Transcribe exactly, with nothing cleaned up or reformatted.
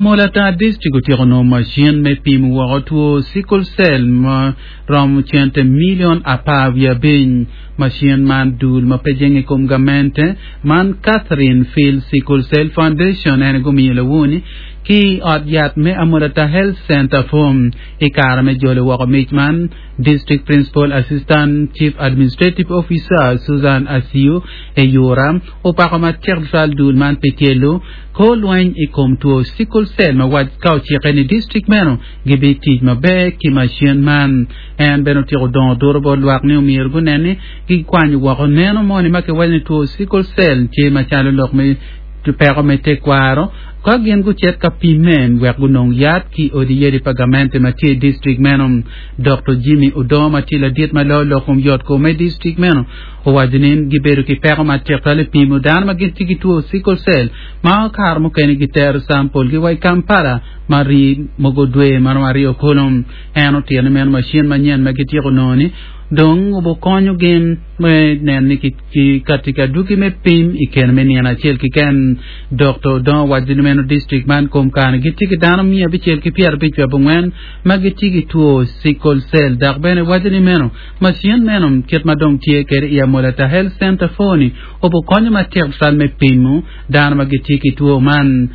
Amolatar District otyeko nongo macin me pimo woko two sickle cell ma romo cente milion apar wiye abic. Macin man dul ma pe jenge i kom gamente man Catherine Field Sickle Cell Foundation ene gumiyo lawoni ki ot yat me Amolatar Health Center Form i kare me jolo woko mic man District Principal Assistant Chief Administrative Officer Susan Asiu Eyura opako matek tutwal dul man pi tyelo kor lweny i kom two sickle cell ma wac ka ocike ni district meno gibitic maber ki macin man. En bene otyeko dongo duro bot lwak ni omyero gunen ni gikwanyo woko neno moni ma kiwaco ni two sickle cell tye macalo lok me peko me tekwaro ka gin gucit ka pimme wek gunong yat ki odi yadi pa gamente ma tye i district meno. Dr. Jimmy Odongo ma tye ladit ma loyo lok kom yot kom me district meno owaco ni gibedo ki peko matek twal i pimo dano ma gin tye ki two sickle cell ma kare mukene gitero sample gi wa i Kampala ma rii mogo dwe maromo aryo kulu. En otito ni meno macin manyen ma gityeko nongo ni dong obokonyo gin me neno ni ki kati ki adwogi me pim i kine me nino acel keken. Dr. Odongo owaco ni meno district man kom kare gitye ki dano miya abicel ki pyerabic wiye abongwen ma gitye ki two sickle cell dok bene waco ni meno macin meno kit ma dong tye kede i Amolatar Health Center four ni obokonyo matek tutwal me pimo dano ma gitye ki two man.